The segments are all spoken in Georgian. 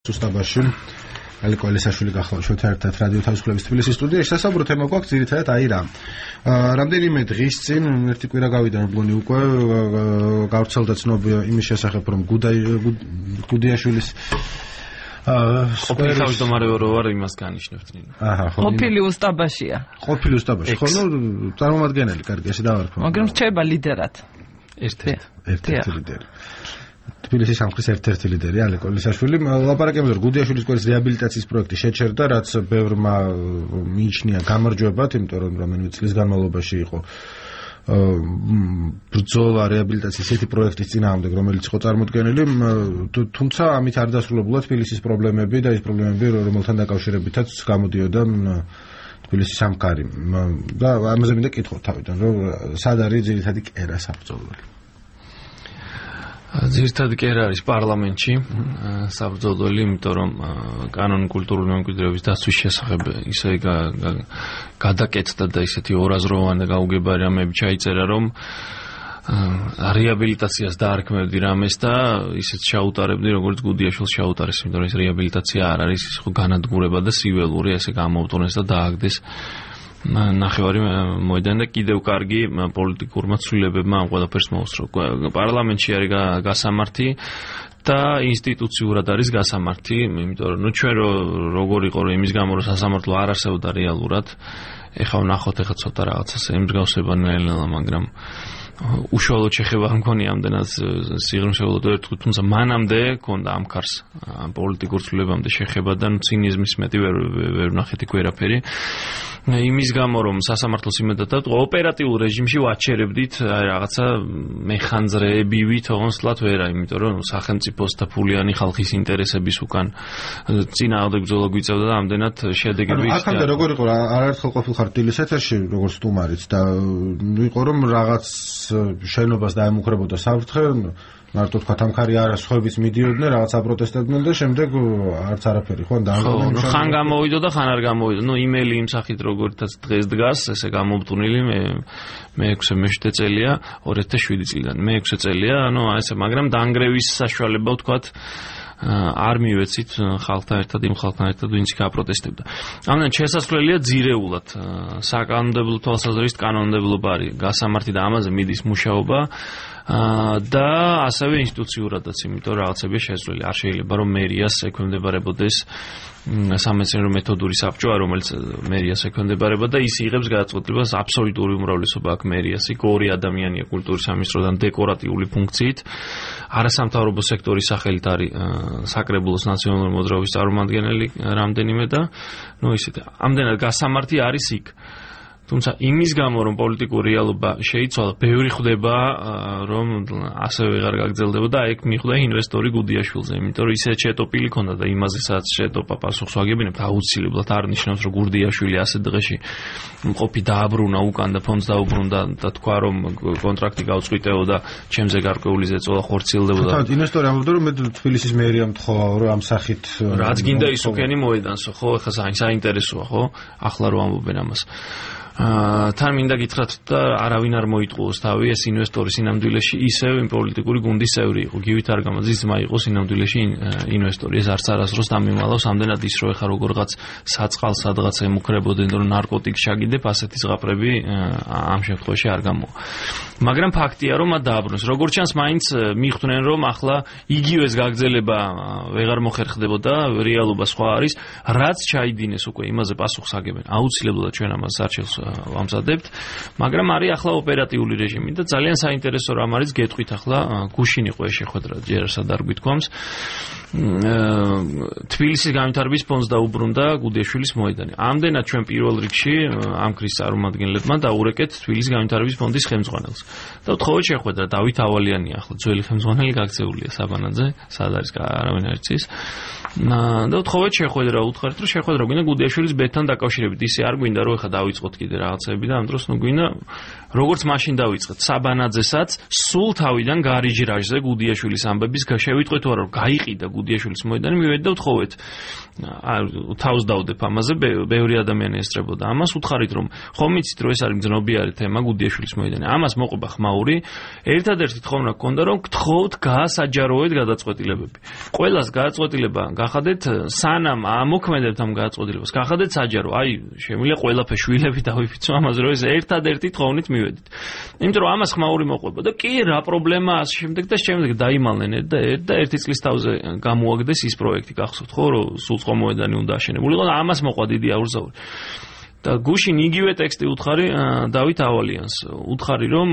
Უსტაბაში ალიკო ალისაშვილი გახლავთ შოთა ერთად რადიო თავისუფლების თბილისის სტუდიაში სასაუბრო თემა გვაქვს ძირითადად აი რა. რამდენიმე დღის წინ ერთი კვირა გავიდა მგონი უკვე გავრცელდა ცნობი იმის შესახებ რომ გუდიაშვილის ყოფილი თავმჯდომარე რო ვარ იმას განიშნებთ ნინო. ყოფილი უსტაბაშია. ყოფილი უსტაბაში ხო ნუ წარმომადგენელი კარგი ესე დავარქვა. მაგრამ რჩება ლიდერად. ერთ-ერთი ლიდერი. თბილისის სამხრის ერთ-ერთი ლიდერი ალიკო ალისაშვილი ლაპარაკებდა რომ გუდიაშვილის სკოლის რეაბილიტაციის პროექტი შეჩერდა, რაც ბევრმა მიიჩნია გამარჯვებად, იმიტომ რომ რამდენიმე წლის განმავლობაში იყო ბრძოლა რეაბილიტაციის ესეთი პროექტის წინააღმდეგ, რომელიც იყო წარმოდგენილი, თუმცა ამით არ დასრულებულა თბილისის პრობლემები და ის პრობლემები, რომელთან დაკავშირებითაც გამოდიოდა თბილისის სამხარი. და ამაზე მინდა კითხოთ თავიდან, რომ სად არის ძირითადი კერა საბრძოლველი? ძირითადი კერა არის პარლამენტში საბრძოლველი, იმიტომ რომ კანონიკულტურული მემკვიდრეობის დაცვის შესახებ ისე გადაკეთდა და ისეთი ორაზროვანი და გაუგებარი რამეები ჩაიწერა, რომ რეაბილიტაციას დაარქმევდი რამეს და ისეთ ჩაუტარებდი, როგორც გუდიაშვილს ჩაუტარეს, იმიტომ რომ ეს რეაბილიტაცია არ არის ის ხო განადგურება და სიველური, ესე გამოვტანეს და დააგდეს ნახევარი მოედანი და კიდევ კარგი პოლიტიკურმა ცვლილებებმა ამ ყველაფერს მოუსწრო. პარლამენტში არის გასამართი და ინსტიტუციურად არის გასამართი, იმიტომ რომ ჩვენ როგორ იყო რომ იმის გამო რომ სასამართლო არ არსებობდა რეალურად, ეხლა ვნახოთ ეხლა ცოტა რაღაცას ემსგავსება ნელ-ნელა, მაგრამ უშუალოდ შეხება არ მქონია ამდენად სიღრმისეულად ერთხელ, თუმცა მანამდე ქონდა ამ ქარს პოლიტიკურ ცვლილებამდე შეხება და ცინიზმის მეტი ვერ ვნახეთ იქ ვერაფერი. იმის გამო რომ სასამართლოს იმედად ოპერატიულ რეჟიმში ვაჩერებდით რაღაცა მეხანძრეებივით ონსლად ვერა, იმიტომ რომ სახელმწიფოს და ფულიანი ხალხის ინტერესების უკან წინააღმდეგ ბრძოლა გვიწევდა და ამდენად შედეგები იქნა. აქამდე როგორ იყო რა, არაერთხელ ყოფილხარ თბილისის ეთერში როგორც სტუმარიც და იყო რომ რაღაც შენობას დაემუქრებოდა საფრთხე, მარტო თქვა ამქარი არა სხვაებიც მიდიოდნენ, რაღაცა პროტესტებდნენ და შემდეგ არც არაფერი ხო და ხან გამოვიდო და ხან არ გამოვიდო. ნუ იმეილი იმ სახით როგორთაც დღეს დგას, ესე გამომტუნილი მე-6 წელია 2007 წლიდან. მე-6 წელია, ანუ ესე, მაგრამ დაანგრევის საშუალება ვთქვათ არ მივეცით ხალხთან ერთად, იმ ხალხთან ერთად, ვინც გაპროტესტებდა. ამიტომ შესაძლებელია ძირეულად საკანონმდებლო თვალსაზრისით კანონმდებლობა არის გასამართი და ამაზე მიდის მუშაობა და ასევე ინსტიტუციურადაც, იმიტომ რომ რაღაცები შესაძლებელი არ შეიძლება რომ მერიას ექვემდებარებოდეს სამეცნიერო მეთოდური საბჭო, რომელიც მერიას ექვემდებარება და ის იღებს გადაწყვეტილებას აბსოლუტური უმრავლესობა აქვს მერიას, იქ ორი ადამიანია კულტურის სამინისტროდან დეკორატიული ფუნქციით, არასამთავრობო სექტორის სახელით არის საკრებულოს ნაციონალური მოძრაობის წარმომადგენელი რამდენიმე და ნუ ისეთ ამდენად გასამართი არის იქ. თუმცა იმის გამო რომ პოლიტიკური რეალობა შეიცვალა, ბევრი ხვდება რომ ასევე ვეღარ გაგრძელდება და ეგ მიხვდა ინვესტორი გუდიაშვილზე, იმიტომ რომ ისე შეტოპილი ქონდა და იმაზე სადაც შეტოპა პასუხს ვაგებინებთ, აუცილებლად არ ნიშნავს რომ გუდიაშვილი ასე დღეში მყოფი დააბრუნა უკან და ფონდს დაუბრუნდა და თქვა რომ კონტრაქტი გავწყვიტეო და ჩემზე გარკვეული ზეწოლა ხორციელდებოდა. თავად ინვესტორი ამბობდა რომ მე თბილისის მერიამ თხოვა რომ ამ სახით რაც გინდა ის უკენი მოედანსო, ხო, ეხლა საინტერესოა, ხო, ახლა რო ამბობენ ამას. თან მინდა გითხრათ და არავინ არ მოიტყუოს თავი, ეს ინვესტორი სინამდვილეში ისევ იმ პოლიტიკური გუნდის წევრი იყო. გივით არ გამოდის ძმა იყო სინამდვილეში ინვესტორი. ეს არც არასდროს დამიმალავს ამდენად ის რომ ეხა როგორღაც საწყალ სადღაც ემუქრებოდნენ რომ ნარკოტიკს ჩაგიდებ, ასეთი ზღაპრები ამ შემთხვევაში არ გამოვა. მაგრამ ფაქტია რომ მათ დააბრუნეს. როგორც ჩანს მაინც მიხვდნენ რომ ახლა იგივეს გაგრძელება ვეღარ მოხერხდებოდა, რეალობა სხვა არის, რაც ჩაიდინეს უკვე იმაზე პასუხს აგებენ. აუცილებლად ჩვენ ამას არჩევს ვამზადებთ, მაგრამ არის ახლა ოპერატიული რეჟიმი და ძალიან საინტერესო რამ არის გეტყვით ახლა გუშინ იყო ეს შეხვედრა, ჯერ სად არ გვითქვამს. თბილისის განვითარების ფონდს დაუბრუნდა გუდიაშვილის მოედანი. ამდენად ჩვენ პირველ რიგში ამ ქრის წარმომადგენლებმა დაურეკეთ თბილისის განვითარების ფონდის ხელმძღვანელს. და ვთხოვეთ შეხვედრა, დავით ავალიანი ახლა ძველი ხელმძღვანელი გაქცეულია საბანაძე, სად არის არავინ არ იცის. და ვთხოვეთ შეხვედრა, უთხრეთ რომ შეხვედრა გვინდა გუდიაშვილის ბედთან დაკავშირებით. ისე არ გვინდა რომ ეხლა დავიწყოთ კიდე კიდე რაღაცები და ამ დროს გვინდა როგორც მაშინ დავიწყეთ საბანაძესაც სულ თავიდან გარიჟრაჟზე გუდიაშვილის ამბების შევიტყვეთ თუ არა რომ გაიყიდა გუდიაშვილის მოედანი მივედი და ვთხოვეთ თავს დავდებ ამაზე ბევრი ადამიანი ესწრებოდა ამას უთხარით რომ ხომ იცით რომ ეს არის მძნობიარე თემა გუდიაშვილის მოედანი ამას მოყვება ხმაური ერთადერთი თხოვნა გქონდა რომ გთხოვთ გაასაჯაროეთ გადაწყვეტილებები ყველას გადაწყვეტილება გახადეთ სანამ ამოქმედებთ ამ გადაწყვეტილებას გახადეთ საჯარო აი შემიძლია ყველაფერი შვილები დავიფიცო ამაზე რომ ეს ერთადერთი თხოვნით მივედით იმიტომ რომ ამას ხმაური მოყვება და კი რა პრობლემაა ამ შემდეგ და შემდეგ დაიმალნენ და ერთი წლის თავზე გამოაგდეს ის პროექტი გახსოვთ ხო რომ სულწყო მოედანი უნდა აშენებულიყო და ამას მოყვა დიდი აურზაური და გუშინ იგივე ტექსტი უთხარი დავით ავალიანს უთხარი რომ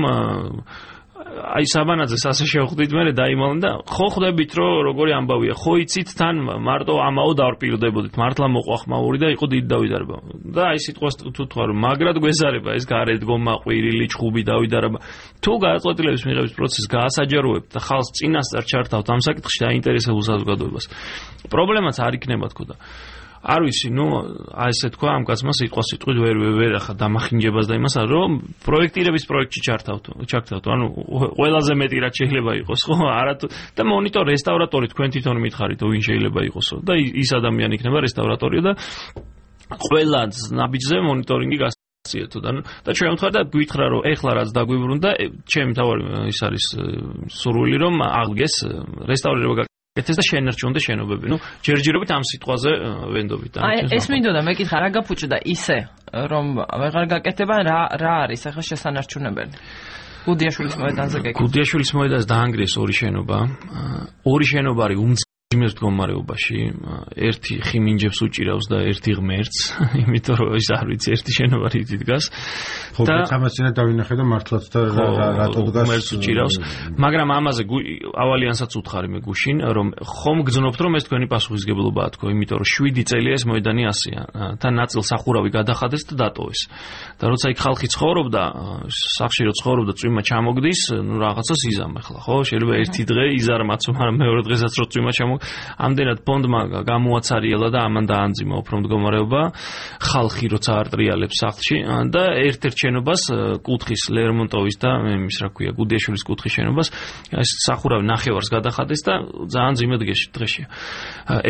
აი საბანაძეს ასე შევხვდით მე დაიმალნენ და ხო ხვდებით რომ როგორი ამბავია ხო იცით თან მარტო ამაო დავრპირდებოდით მართლა მოყვა ხმაური და იყო დიდი დავიდარება და აი სიტყვას თუ თქვა რომ მაგრად გვეზარება ეს გარეთგომა ყვირილი ჩხუბი დავიდარება თუ გადაწყვეტილების მიღების პროცესს გაასაჯაროებთ და ხალხს წინასწარ ჩართავთ ამ საკითხში დაინტერესებულ საზოგადოებას პრობლემაც არ იქნება თქო და არ ვიცი, აი ესე თქვა ამ კაცმა სიტყვით ვერ ახლა დამახინჯებას და იმას რომ პროექტირების პროექტში ჩართავთ, ანუ ყველაზე მეტი რაც შეიძლება იყოს, ხო? არა და მონიტორ რესტავრატორი თქვენ თვითონ მითხარით, ვინ შეიძლება იყოსო და ის ადამიანი იქნება რესტავრატორი და ყველა ნაბიჯზე მონიტორინგი გასწიეთო და ჩვენ ვთქვა და გვითხრა რომ ეხლა რაც დაგვიბრუნდა, ჩემი თავი ის არის სურვილი რომ აღდგეს რესტავრირება ეს და შენერჩუნდა შენობები. ჯერჯერობით ამ სიტყვაზე ვენდობით. აი, ეს მინდოდა მეკითხა რა გაფუჭდა ისე, რომ ვეღარ გაკეთება რა არის ახლა შესანარჩუნებელი. გუდიაშვილის მოედანზე გეკითხა. გუდიაშვილის მოედანზე დაანგრიეს ორი შენობა. ორი შენობა არის უმძიმეს მდგომარეობაში. ერთი ხიმინჯებს უჭირავს და ერთი ღმერთს, იმიტომ რომ ის არ ვიცი, ერთი შენობა რითი დგას. ხო, ამასინა დავინახე და მართლაც და რატო დგას ღმერთს უჭირავს. მაგრამ ამაზე ავალიანსაც უთხარი მე გუშინ, რომ ხომ გძნობთ რომ ეს თქვენი პასუხისგებლობაა თქო, იმიტომ რომ 7 წელია ეს მოედანი ასია. თან ნაწილ სახურავი გადახადეს და დატოვეს. და როცა იქ ხალხი ცხოვრობდა, სახში რო ცხოვრობდა, წვიმა ჩამოგდის, რაღაცას იზამ ახლა, ხო? შეიძლება ერთი დღე იზარმაც, მაგრამ მეორე დღესაც რო წვიმა ამდენად ფონდმა გამოაცარიელა და ამან დაანძიმა უფრო მდგომარეობა ხალხი როცა არტრიალებს სახლში და ერთ-ერთ შენობას კუთხის ლერმონტოვის და იმის რა ქვია გუდიაშვილის კუთხის შენობას ეს სახურავი ნახევარს გადახადეს და ძალიან ძიმე დღეშია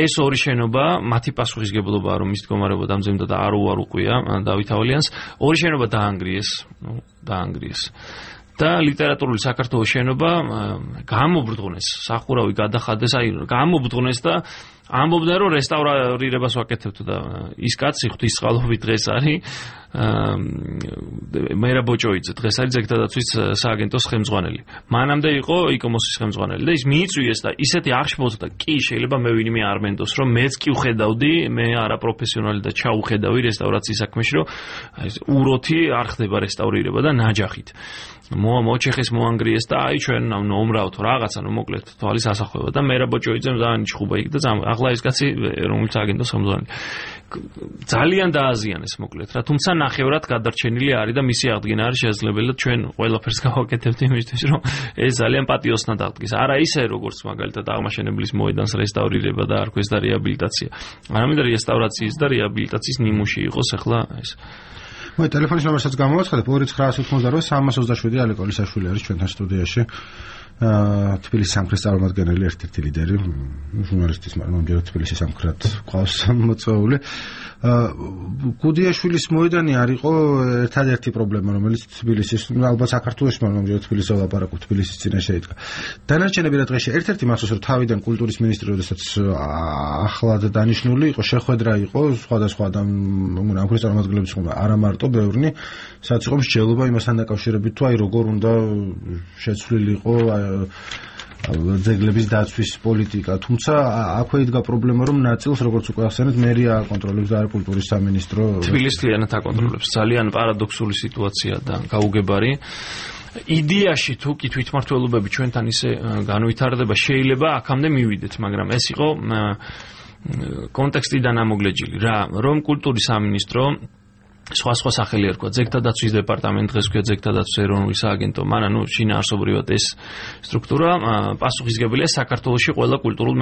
ეს ორი შენობა მათი პასუხისგებლობაა რომ ის მდგომარეობა დამძიმდა და არ უყვია დავით ავალიანს ორი შენობა დაანგრიეს და ლიტერატურული საქართველოს შენობა გამობრძღნეს, სახურავი გადახადეს, აი გამობრძღნეს და ამბობდა რომ რესტავრირებას ვაკეთებთ და ის კაცი ღვთისწყალობით დღეს არის მერაბ ბოჭოიძე დღეს არის ძეგლდაცვის სააგენტოს ხელმძღვანელი. მანამდე იყო იკომოსის ხელმძღვანელი და ის მიიწვიეს და ისეთი აღშფოთდა კი შეიძლება მე ვინმე არ მენდოს რომ მეც კი ვხედავდი მე არაპროფესიონალი და ჩაუხედავი რესტავრაციის საქმეში რომ უროთი არ ხდება რესტავრირება და ნაჯახით. მოჩეხეს მოანგრიეს და აი ჩვენ ნომრავთ რაღაცა მოკლედ თვალის ასახვევა და მერაბ ბოჭოიძემ ძალიან ჩხუბა იქ და ახლა ეს კაცი რომელიც აგენტოს ხელმძღვანელი ძალიან დააზიანეს მოკლედ რა თუმცა ნახევრად გადარჩენილი არის და მისი აღდგენა არის შესაძლებელი და ჩვენ ყველაფერს გავაკეთებთ იმისთვის რომ ეს ძალიან პატიოსნად აღდგეს არა ისე როგორც მაგალითად აღმაშენებლის მოედანს რესტავრირება და არ ქვეს და რეაბილიტაცია არამედ რესტავრაციის და რეაბილიტაციის ნიმუში იყოს ახლა ეს მოი ტელეფონის ნომერსაც გამოვაცხადებ 2988 ალეკო ლისაშვილი არის ჩვენთან სტუდიაში თბილისის სამხრეთის წარმომადგენელი ერთ-ერთი ლიდერი ჟურნალისტის მაგრამ თბილისის სამხრეთ ყავს მოწვეული გუდიაშვილის მოედანი არისო ერთადერთი პრობლემა რომელიც თბილისის ალბათ საქართველოში მაგრამ თბილისის ლაპარაკობ თბილისის წინაშე იდგა დანარჩენები რა დღეში ერთ-ერთი მახსოვს რომ თავიდან კულტურის მინისტრი როდესაც ახლად დანიშნული იყო შეხვედრა იყო სხვადასხვა ამქრის წარმომადგენლების ხომ არა მარტო ბევრნი სადაც იყო მსჯელობა იმასთან დაკავშირებით თუ აი როგორ უნდა შეცვლილიყო ძეგლების დაცვის პოლიტიკა, თუმცა აქვე იდგა პრობლემა, რომ ნაწილს როგორც უკვე ახსენეთ, მერია აკონტროლებს და არა კულტურის სამინისტრო. თბილისიანად აკონტროლებს. ძალიან პარადოქსული სიტუაცია და გაუგებარი. იდეაში თუ კი თვითმმართველობები ჩვენთან ისე განვითარდება, შეიძლება აქამდე მივიდეთ, მაგრამ ეს იყო კონტექსტიდან ამოგლეჯილი რა, რომ კულტურის სამინისტრო სხვა სახელი ერქვა ძეგთა დაცვის დეპარტამენტი, დღეს ქვია ძეგთა დაცვის ეროვნული სააგენტო, მაგრამ შინაარსობრივად ეს სტრუქტურა პასუხისმგებელია საქართველოში ყველა კულტურულ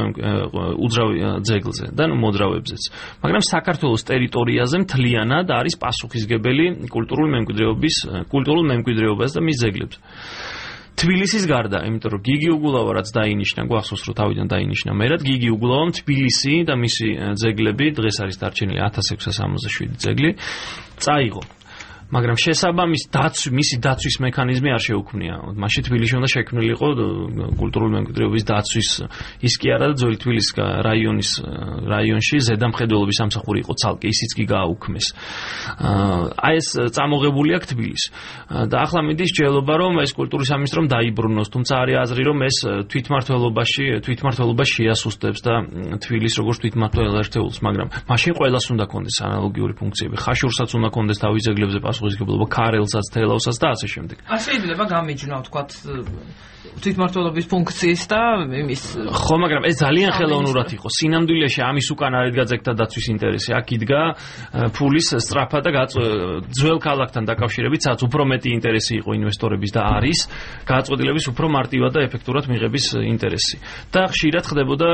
უძრავ ძეგლზე და მოძრავებზეც. მაგრამ საქართველოს ტერიტორიაზე მთლიანად არის პასუხისმგებელი კულტურულ მემკვიდრეობას და მის ძეგლებზე. თბილისის გარდა, იმიტომ რომ გიგი უგულავა რაც დაინიშნა, გვახსოვს რომ თავიდან დაინიშნა მერად, გიგი უგულავამ თბილისი და მისი ძეგლები, დღეს არის დარჩენილი 1667 ძეგლი, წაიღო. მაგრამ მისი დაცვის მექანიზმი არ შეუქმნია. მაშინ თბილისში უნდა შექმნილიყო კულტურული მემკვიდრეობის დაცვის ის კი არა და ძველი თბილისის რაიონში ზედამხედველობის სამსახური იყო ცალკე, ისიც კი გააუქმეს. აი ეს წამოღებული აქვს თბილისი. და ახლა მიდის ჯელობა რომ ეს კულტურის სამინისტრომ დაიბრუნოს, თუმცა არის აზრი რომ ეს თვითმმართველობა შეასუსტებს და თბილისს როგორც თვითმმართველ ერთეულს, მაგრამ მაშინ ყველას უნდა კონდეს ანალოგიური ფუნქციები. ხაშურსაც უნდა კონდეს თავის ძეგლებზე პასუხისმგებლობა, ქარელსაც, თელავსაც და ასე შემდეგ. შეიძლება გამიჯნო თქვათ თვითმმართველობის ფუნქციის და იმის. ხო, მაგრამ ეს ძალიან ხელოვნურად იყო. სინამდვილეში ამის უკან არ იდგა ძეგლთა დაცვის ინტერესი. აქ იდგა ფულის სწრაფა და ძველ ქალაქთან დაკავშირებით, სადაც უფრო მეტი ინტერესი იყო ინვესტორების და არის გაწყვეტილების უფრო მარტივად და ეფექტურად მიღების ინტერესი. და ხშირად ხდებოდა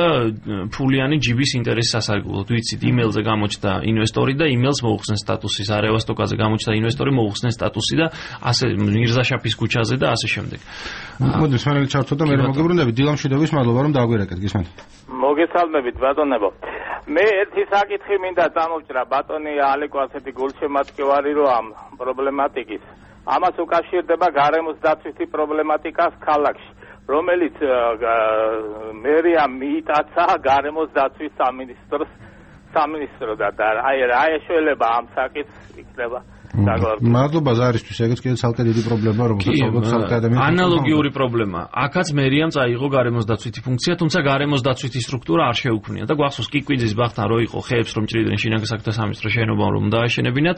ფულიანი ჯიბის ინტერესი სასარგებლოდ. ვიცით, იმეილზე გამოჩნდა ინვესტორი და იმეილს მოუხსნეს სტატუსი, არევასტოკაზე გამოჩნდა ინვესტორი მოუხსნეს სტატუსი და ასე მირზაშაფის ქუჩაზე და ასე შემდეგ. მოდი სვანელი ჩართო და მე მოგებრუნდები დილამშვიდობის მადლობა რომ დაგვირეკეთ გისმენთ. მოგესალმებით ბატონებო. მე ერთი საკითხი მინდა წამოვჭრა ბატონი ალეკო ასეთი გულშემატკივარი რომ ამ პრობლემატიკის ამას უკავშირდება გარემოს დაცვითი პრობლემატიკას ქალაქში, რომელიც მერია მიიტაცა გარემოს დაცვის სამინისტრო და აი რა ეშველება ამ საკითხს იქნება. მადლობა ზარისთვის, ეგეც კიდევ ცალკე დიდი პრობლემაა, რომელსაც ალბათ ცალკე ადამიანს ანალოგიური პრობლემა. აქაც მერიამ წაიღო გარემოს დაცვითი ფუნქცია, თუმცა გარემოს დაცვითი სტრუქტურა არ შეუქმნია და გვახსოვს კიკვიძის ბახთან რო იყო ხეებს რომ ჭრიდნენ შინაგან საქმეთა სამინისტრო შენობა რომ დააშენებინათ,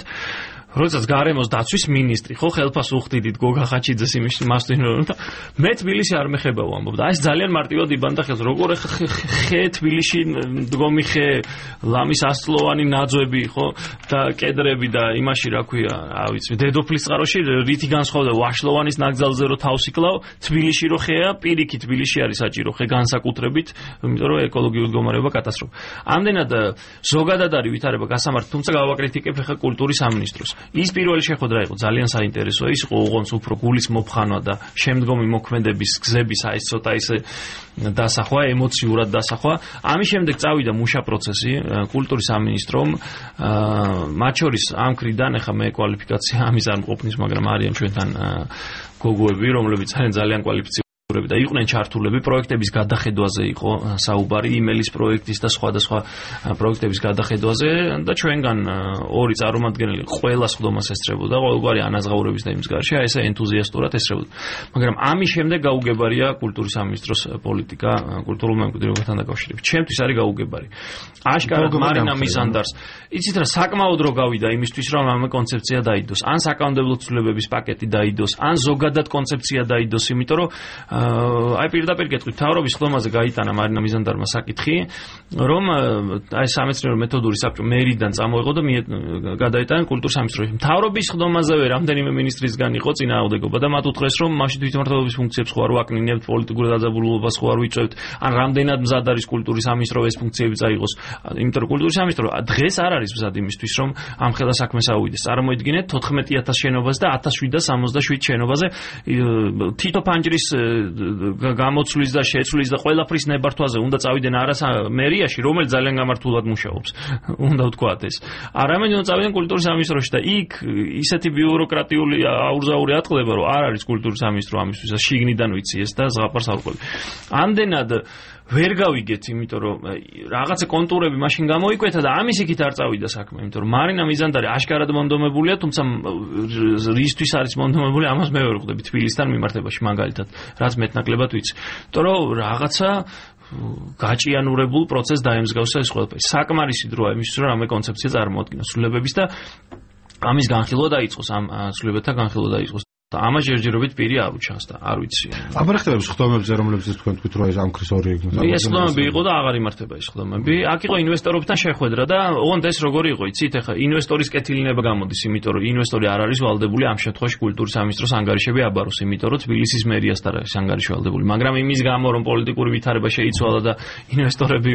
როდესაც გარემოს დაცვის მინისტრი ხო ხელფას უხდიდით გოგა ხაჩიძეს იმის მასტინო და მე თბილისი არ მეხება ვამბობ და ეს ძალიან მარტივად იბანდა ხელს როგორ ხე თბილისში მდგომი ხე ლამის ასწლოვანი ნაძვები ხო და კედრები და იმაში რა ქვია რა ვიცი დედოფლის წყაროში რითი განსხვავდა ვაშლოვანის ნაკრძალზე რო თავს იკლავ თბილისში რო ხეა პირიქით თბილისში არის საჭირო ხე განსაკუთრებით იმიტომ რომ ეკოლოგიური მდგომარეობა კატასტროფა ამდენად ზოგადად არის ვითარება გასამართი თუმცა გავაკრიტიკებ ხე კულტურის სამინისტროს ის პირველი შეხვედრა იყო ძალიან საინტერესო ის იყო უღონს უფრო გულის მოფხანვა და შემდგომი მოქმედების გზების აი ეს ცოტა ისე დასახვა ემოციურად დასახვა ამის შემდეგ წავიდა მუშა პროცესი კულტურის სამინისტრომ მათ შორის ამ მხრიდან ახლა მე კვალიფიკაცია ამის არ მყოფნის მაგრამ არიან ჩვენთან გოგოები რომლებიც ძალიან კვალიფიცირებული და იყვნენ ჩართულები პროექტების გადახედვაზე იყო საუბარი იმელის პროექტის და სხვადასხვა პროექტების გადახედვაზე და ჩვენგან ორი წარმომადგენელი ყველა სხდომას ესწრებოდა ყოველგვარი ანაზღაურების და იმის გარშე ესე ენთუზიასტურად ესწრებოდა მაგრამ ამის შემდეგ გაუგებარია კულტურის სამინისტროს პოლიტიკა კულტურულ მემკვიდრეობასთან დაკავშირებით ჩემთვის არის გაუგებარი აშკარად მარინა მიზანდარს იცით რა საკმაოდ რო გავიდა იმისთვის რომ ამ კონცეფცია დაიდოს ან საკანონმდებლო ცვლილებების პაკეტი დაიდოს ან ზოგადად კონცეფცია დაიდოს იმიტომ რომ აი პირდაპირ გეტყვით მთავრობის ხდომაზე გაიტანა მარინა მიზანდარმა საკითხი რომ აი სამეცნიერო მეთოდური საბჭო მერიდან წამოიღო და გადაიტანა კულტურის სამინისტროში მთავრობის ხდომაზევე რამდენიმე მინისტრისგან იყო წინააღმდეგობა და მათ უთხრეს რომ მაშინ თვითმმართველობის ფუნქციებს ხო არ ვაკნინებთ პოლიტიკურ დაძაბულობას ხო არ ვიწევთ ან რამდენად მზად არის კულტურის სამინისტრო ეს ფუნქციები წაიღოს იმიტომ რომ კულტურის სამინისტრო დღეს არ არის მზად იმისთვის რომ ამ ხელა საქმეს აუვიდეს წარმოიდგინეთ 14000 შენობაზე და 1777 შენობაზე თითო ფანჯრის გამოცვლის და შეცვლის და ყველაფრის ნებართვაზე უნდა წავიდნენ არა მერიაში რომელიც ძალიან გამართულად მუშაობს უნდა ვთქვათ ეს არამედ უნდა წავიდნენ კულტურის სამინისტროში და იქ ისეთი ბიუროკრატიული აურზაური ატყდება რომ არ არის კულტურის სამინისტრო ამისთვის შიგნიდან ვიცი ეს და ზღაპარს არ ყვები ამდენად ვერ გავიგეთ იმიტომ რომ რაღაცა კონტურები მაშინ გამოიკვეთა და ამის იქით არ წავიდა საქმე იმიტომ რომ მარინა მიზანდარი აშკარად მონდომებულია თუმცა რისთვის არის მონდომებული ამას მე ვერ ხვდები თბილისთან მიმართებაში მაგალითად რაც მეტნაკლებად ვიცი იმიტომ რომ რაღაცა გაჭიანურებულ პროცესს დაემსგავსა ეს ყველაფერი საკმარისი დროა იმისთვის რომ ამე კონცეფცია წარმოადგინოს ცვლილებების და ამის განხილვა დაიწყოს ამ ცვლილებათა განხილვა დაიწყოს და ამას ჯერჯერობით პირი არ უჩანს და არ ვიცი. აბარხტებს ხდომებზე რომლებზეც თქვენ თქვით რომ ეს ამ ქრის ორი ეს ხდომები იყო და აღარ იმართება ეს ხდომები. აქ იყო ინვესტორებთან შეხვედრა და ოღონდ ეს როგორი იყო იცით ახლა ინვესტორის კეთილინება გამოდის იმიტომ რომ ინვესტორი არ არის ვალდებული ამ შემთხვევაში კულტურის სამინისტროს ანგარიშები აბაროს იმიტომ რომ თბილისის მერიასთან არის ანგარიში ვალდებული მაგრამ იმის გამო რომ პოლიტიკური ვითარება შეიცვალა და ინვესტორები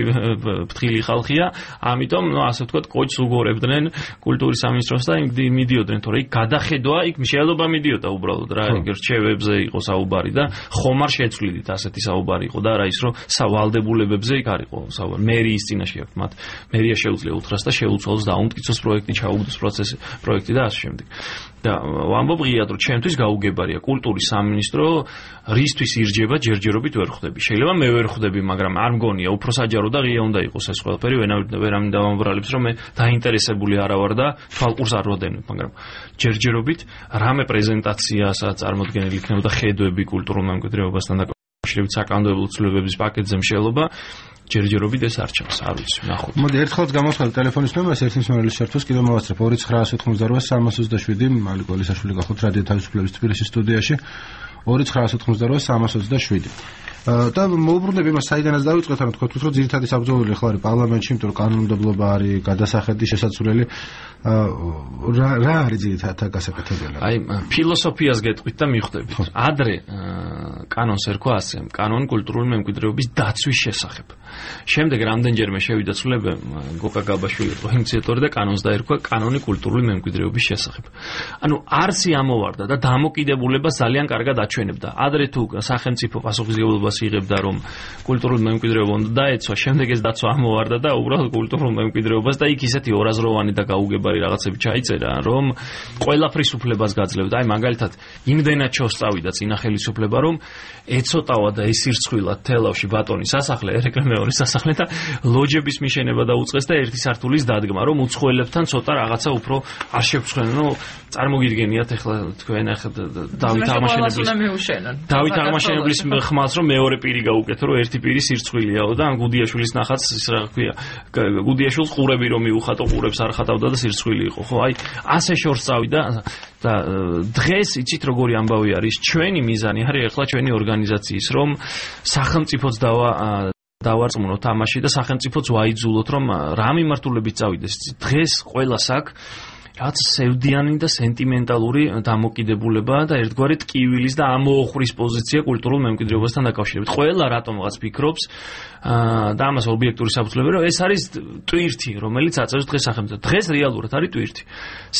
ფრთხილი ხალხია ამიტომ ასე ვთქვათ კოჭს უგორებდნენ კულტურის სამინისტროს და მიდიოდნენ თორე იქ გადახედვა იქ შეადობა მიდიოდა უბრალოდ რა რჩევებზე იყო საუბარი და ხომ არ შეცვლიდით ასეთი საუბარი იყო და რა ის რომ სავალდებულებებზე იქ არ იყო საუბარი მერიის წინაშე აქვს მათ მერია შეუძლია უთხრას და შეუცვალოს დაუმტკიცოს პროექტი ჩაუგდოს პროექტი და ასე შემდეგ და ვამბობ ღიად რომ ჩემთვის გაუგებარია კულტურის სამინისტრო რისთვის ირჯება ჯერჯერობით ვერ ხვდები შეიძლება მე ვერ ხვდები მაგრამ არ მგონია უფრო საჯარო და ღია უნდა იყოს ეს ყველაფერი ვერავინ დავამბრალებს რომ მე დაინტერესებული არა ვარ და თვალყურს არ ვადევნებ მაგრამ ჯერჯერობით რამე პრეზენტაციასაც წარმოდგენილი იქნებოდა ხედვები კულტურულ მემკვიდრეობასთან დაკავშირებით საკანონმდებლო ცვლილებების პაკეტზე მშელობა ჯერჯერობით ეს არ ჩანს არ ვიცი ნახოთ მოდი ერთხელაც გამოვხდეთ ტელეფონის ნომერს ერთის მომრელის შერთვას კიდევ მოვაცრებ 2988 მალიკ ოლისაშვილი გახოთ რადიო თავისუფლების თბილისის სტუდიაში 2988 და მოუბრუნდები მას საიდანაც დავიწყეთ ანუ თქვით რომ ძირითადი საბრძოლო ხო არის პარლამენტში იმიტომ რომ კანონმდებლობა არის გადასახედი შესაძლებელი რა არის ძირითადად გასაკეთებელი აი ფილოსოფიას გეტყვით და მიხვდებით ადრე კანონს ერქვა ასე კანონი კულტურული მემკვიდრეობის დაცვის შესახებ შემდეგ რამდენჯერმე შევიდა ცვლილება გოკა გაბაშვილი იყო ინიციატორი და კანონს დაერქვა კანონი კულტურული მემკვიდრეობის შესახებ ანუ არსი ამოვარდა და დამოკიდებულება ძალიან კარგად აჩვენებდა ადრე თუ სახელმწიფო პასუხისმგებლობას იღებდა რომ კულტურული მემკვიდრეობა უნდა დაეცვა შემდეგ ეს დაცვა ამოვარდა და უბრალოდ კულტურულ მემკვიდრეობას და იქ ისეთი ორაზროვანი და გაუგებარი რაღაცები ჩაიწერა რომ ყველაფრის უფლებას გაძლევდა აი მაგალითად იმდენად ჩოსწავიდა წინა ხელისუფლება რომ ეცოტავა და ესირცხვილა თელავში ბატონის სასახლე ერეკლე მეორის სასახლე და ლოჯების მიშენება დაუწყეს და ერთი სართულის დადგმა რომ უცხოელებთან ცოტა რაღაცა უფრო არ შევცვლენო წარმოგიდგენიათ ახლა თქვენ ახლა დავით აღმაშენებლის ხმალს რომ მეორე პირი გაუკეთო რომ ერთი პირი სირცხვილიაო და გუდიაშვილის ნახაც ის რა ქვია გუდიაშვილს ყურები რომ მიუხატო ყურებს არ ხატავდა და სირცხვილი იყო ხო აი ასე შორს წავიდა და დღეს იცით როგორი ამბავი არის ჩვენი მიზანი არის ახლა ჩვენი ორგანიზაციის რომ სახელმწიფოც დავარწმუნოთ ამაში და სახელმწიფოც ვაიძულოთ რომ რა მიმართულებით წავიდეს დღეს ყველას აქვს რაც სევდიანი და სენტიმენტალური დამოკიდებულება და ერთგვარი ტკივილის და ამოოხრის პოზიცია კულტურულ მემკვიდრეობასთან დაკავშირებით. ყველა რატომღაც ფიქრობს და ამას ობიექტური საფუძვლები რომ ეს არის ტვირთი, რომელიც აწევს დღეს სახელმწიფოს. დღეს რეალურად არის ტვირთი.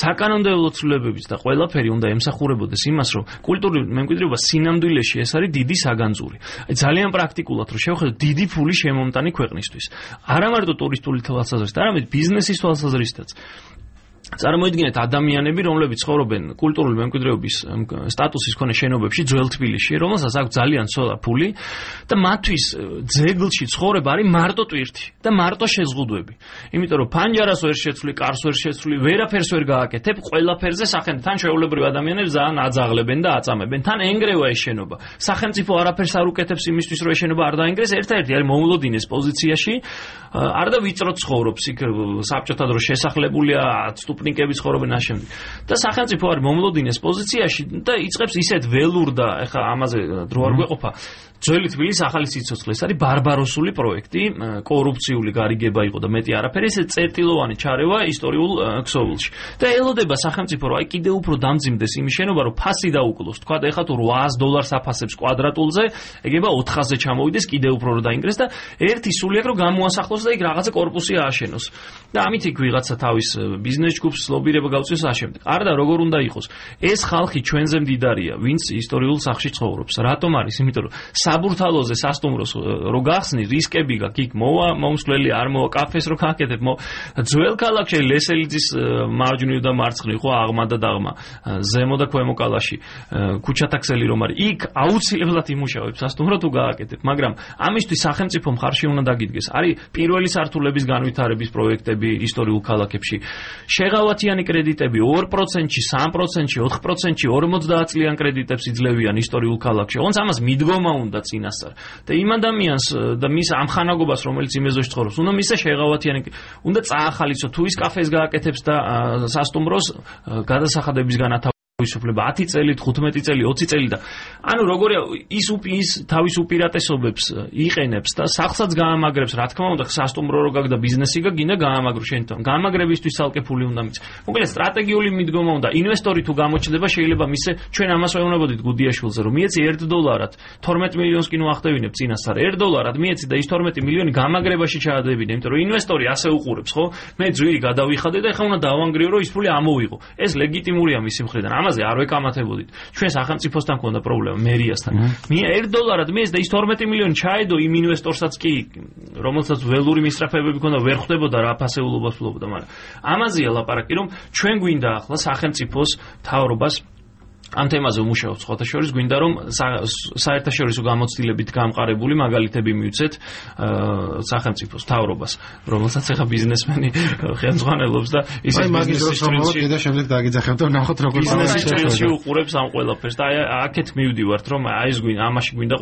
საკანონმდებლო ცვლილებებიც და ყველაფერი უნდა ემსახურებოდეს იმას, რომ კულტურული მემკვიდრეობა სინამდვილეში ეს არის დიდი საგანძური. ძალიან პრაქტიკულად რომ შევხედოთ დიდი ფული შემომტანი ქვეყნისთვის. არა მარტო ტურისტული თვალსაზრისით, არამედ ბიზნესის თვალსაზრისითაც. წარმოიდგინეთ ადამიანები, რომლებიც ცხოვრობენ კულტურული მემკვიდრეობის სტატუსის მქონე შენობებში ძველ თბილისში, რომელსაც აქვს ძალიან ცოტა ფული და მათთვის ძეგლში ცხოვრება არის მარტო ტვირთი და მარტო შეზღუდვები. იმიტომ რომ ფანჯარას ვერ შეცვლი, კარს ვერ შეცვლი, ვერაფერს ვერ გააკეთებ, ყველაფერზე სახელმწიფო თან შეულებრივ ადამიანებს ძალიან აძაღლებენ და აწამებენ. თან ენგრევა ეს შენობა. სახელმწიფო არაფერს არ უკეთებს იმისთვის, რომ ეს შენობა არ დაინგრეს, ერთ-ერთი არის მომლოდინეს პოზიციაში, არ და ვიწრო ცხოვრობს იქ საბჭოთა დროს შესახლებულია სტუპნიკები ცხოვრობენ ამჟამად. და სახელმწიფო არის მომლოდინეს პოზიციაში და იწყებს ისეთ ველურ და ეხა ამაზე დრო არ გვეყოფა. ძველი თბილისის ახალი სიცოცხლე ეს არის ბარბაროსული პროექტი, კორუფციული გარიგება იყო და მეტი არაფერი, ეს წერტილოვანი ჩარევა ისტორიულ ქსოვილში. და ელოდება სახელმწიფო რომ აი კიდევ უფრო დამძიმდეს იმის შენობა, რომ ფასი დაუკლოს. თქვა ეხა თუ $800 აფასებს კვადრატულზე, ეგება 400-ზე ჩამოვიდეს, კიდევ უფრო რომ დაინგრეს და ერთი სულიერ რომ გამოასახლოს და იქ რაღაცა კორპუსი ააშენოს. და ამით იქ ვიღაცა თავის ბიზნეს ჯგუფს ლობირება გავწიოს ამავდროულად. არა და როგორ უნდა იყოს? ეს ხალხი ჩვენზე მდიდარია, ვინც ისტორიულ სახლში ცხოვრობს. რატომ არის? იმიტომ რომ საბურთალოზე სასტუმროს რო გახსნი, რისკები გაქვს, იქ მოვა მომსვლელი, არ მოვა კაფეს რო გააკეთებ, ძველ ქალაქში ლესელიძის მარჯვნივ და მარცხნივ ხო აღმა და დაღმა, ზემო და ქვემო კალაში, ქუჩათა ქსელი რომ არის, იქ აუცილებლად იმუშავებს სასტუმრო თუ გააკეთებ, მაგრამ ამისთვის სახელმწიფო მხარში უნდა დაგიდგეს. არის პირველი სართულების განვითარების პროექტები ისტორიულ ქალაქებში. შეღავათიანი კრედიტები 2%-ში, 3%-ში, 4%-ში, 50 წლიან კრედიტებს იძლევიან ისტორიულ ქალაქში. ოღონდ ამას მიდგომა უნდა წინასწარ. და იმ ადამიანს და მის ამხანაგობას, რომელიც იმეზოში ცხოვრობს, უნდა მისცე შეღავათიანი, უნდა წაახალისო თუ ის კაფეს გააკეთებს და სასტუმროს გადასახადების განათავსება თავისუფლება 10 წელი, 15 წელი, 20 წელი და ანუ როგორია ის თავის უპირატესობებს იყენებს და სახლსაც გაამაგრებს, რა თქმა უნდა, სასტუმრო რო გაგდა ბიზნესი გინდა გაამაგრო შენ თან. გაამაგრებისთვის ცალკე ფული უნდა მიცე. მოკლედ სტრატეგიული მიდგომა უნდა. ინვესტორი თუ გამოჩნდება, შეიძლება მისე ჩვენ ამას ვეუბნებოდით გუდიაშვილზე, რომ მიეცი $1 12 მილიონს კი ნუ ახდევინებ წინასწარ. $1 მიეცი და ის 12 მილიონი გამაგრებაში ჩაადებინე, იმიტომ რომ ინვესტორი ასე უყურებს, ხო? მე ძვირი გადავიხადე და ეხლა უნდა დავანგრიო, რომ ის ფული ამოვიღო. ეს ლეგიტიმურია მისი მხრიდან. ამაზე არ ვეკამათებოდით. ჩვენ სახელმწიფოსთან ქონდა პრობლემა, მერიასთან. $1 მიეც და ის 12 მილიონი ჩაედო იმ ინვესტორსაც კი, რომელსაც ველური მისწრაფებები ქონდა, ვერ ხვდებოდა რა ფასეულობას ფლობდა, მაგრამ ამაზეა ლაპარაკი, რომ ჩვენ გვინდა ახლა სახელმწიფოს მთავრობას ამ თემაზე უმუშაობს სხვათა შორის გვინდა რომ საერთაშორისო გამოცდილებით გამყარებული მაგალითები მივცეთ სახელმწიფოს მთავრობას რომელსაც ახლა ბიზნესმენი ხელმძღვანელობს და ისე ბიზნესის სტრილში და შემდეგ დაგიძახებთ და ნახოთ როგორ ბიზნესის სტრილში უყურებს ამ ყველაფერს და აი აქეთ მივდივართ რომ აი ეს ამაში გვინდა